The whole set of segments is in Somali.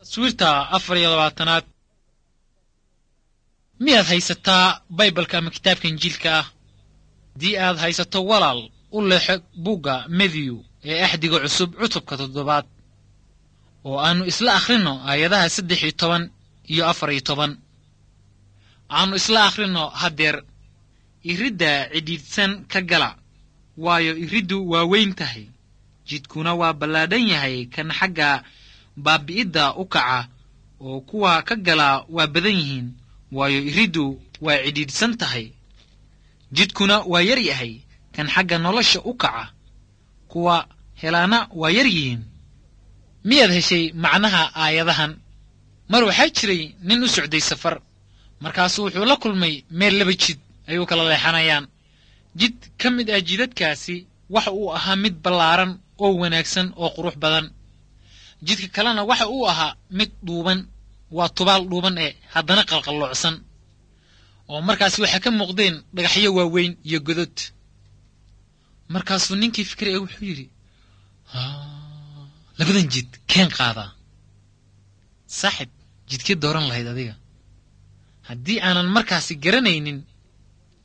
Taswiirta 24aad. Miyaad haysataa Baybalka ama kitaabka Injiilka ah? Haddii aad haysato, walaal, u leexo buugga Matthew ee Axdiga Cusub, cutubka 7aad, oo aannu isla akhrinno aayadaha 13 iyo 14. Aannu isla akhrinno haddeer. Iridda cidhiidhsan ka gala, waayo iriddu waa weyn tahay, jidkuna waa ballaadhan yahay kan xagga baabi'idda u kaca, oo kuwa ka galaa waa badan yihiin. Waayo iriddu waa cidhiidhsan tahay, jidkuna waa yar yahay kan xagga nolosha u kaca, kuwa helaana waa yar yihiin. Miyaad heshay macnaha aayadahan? Mar waxaa jiray nin u socday safar. Markaasuu wuxuu la kulmay meel laba jid ayuu kala leexanayaan. Jid ka mid ah jidadkaasi waxa uu ahaa mid ballaaran oo wanaagsan oo qurux badan. Jidka kalena waxa uu ahaa mid dhuuban, waa tubaal dhuuban ee haddana qalqalloocsan, oo markaasi waxaa ka muuqdeen dhagaxyo waaweyn iyo godod. Markaasuu ninkii fikray ee wuxuu yidhi, "Labadan jid keen qaadaa?" Saaxib, jidkee dooran lahayd adiga? Haddii aanan markaasi garanaynin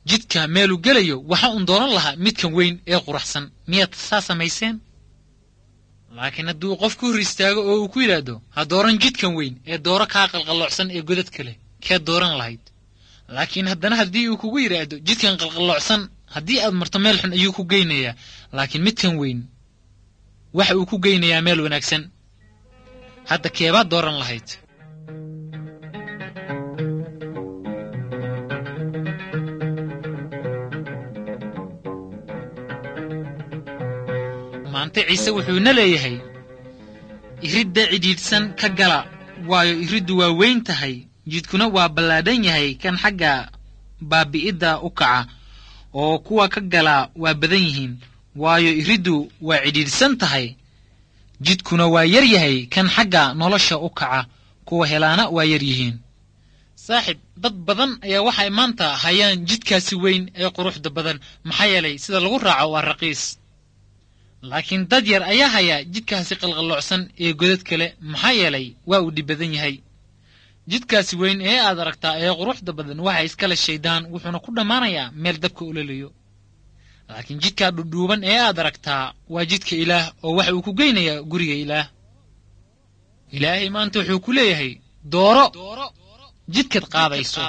jidka meeluu gelayo, waxa uun dooran lahaa midkan weyn ee quraxsan. Miyaad saa samayseen? Laakiin hadduu qof ku hor istaago oo uu ku yidhaahdo, "Ha dooran jidkan weyn ee dooro kaa qalqalloocsan ee godadka leh," kee dooran lahayd? Laakiin haddana haddii uu kugu yidhaahdo, "Jidkan qalqalloocsan haddii aad marto meel xun ayuu ku geynayaa, laakiin midkan weyn waxa uu ku geynayaa meel wanaagsan," hadda keebaad dooran lahayd? Maanta Ciise wuxuuna leeyahay, "Iridda cidhiidhsan ka gala, waayo iriddu waa weyn tahay, jidkuna waa ballaadhan yahay kan xagga baabi'idda u kaca, oo kuwa ka galaa waa badan yihiin. Waayo iriddu waa cidhiidhsan tahay, jidkuna waa yar yahay kan xagga nolosha u kaca, kuwa helaana waa yar yihiin." Saaxib, dad badan ayaa waxay maanta hayaan jidkaasi weyn ee quruxda badan, maxaa yeelay sida lagu raaco waa raqiis. Laakiin dad yar ayaa hayaa jidkaasi qalqalloocsan ee godad kale, maxaa yeelay waa uu dhib badan yahay. Jidkaasi weyn ee aad aragtaa ee quruxda badan waxa iskale shaydaan, wuxuuna ku dhammaanayaa meel dabka ololayo. Laakiin jidkaa dhudhuuban ee aad aragtaa waa jidka Ilaah, oo waxa uu ku geynayaa guriga Ilaah. Ilaahay maanta wuxuu ku leeyahay, dooro jidkaad qaadayso.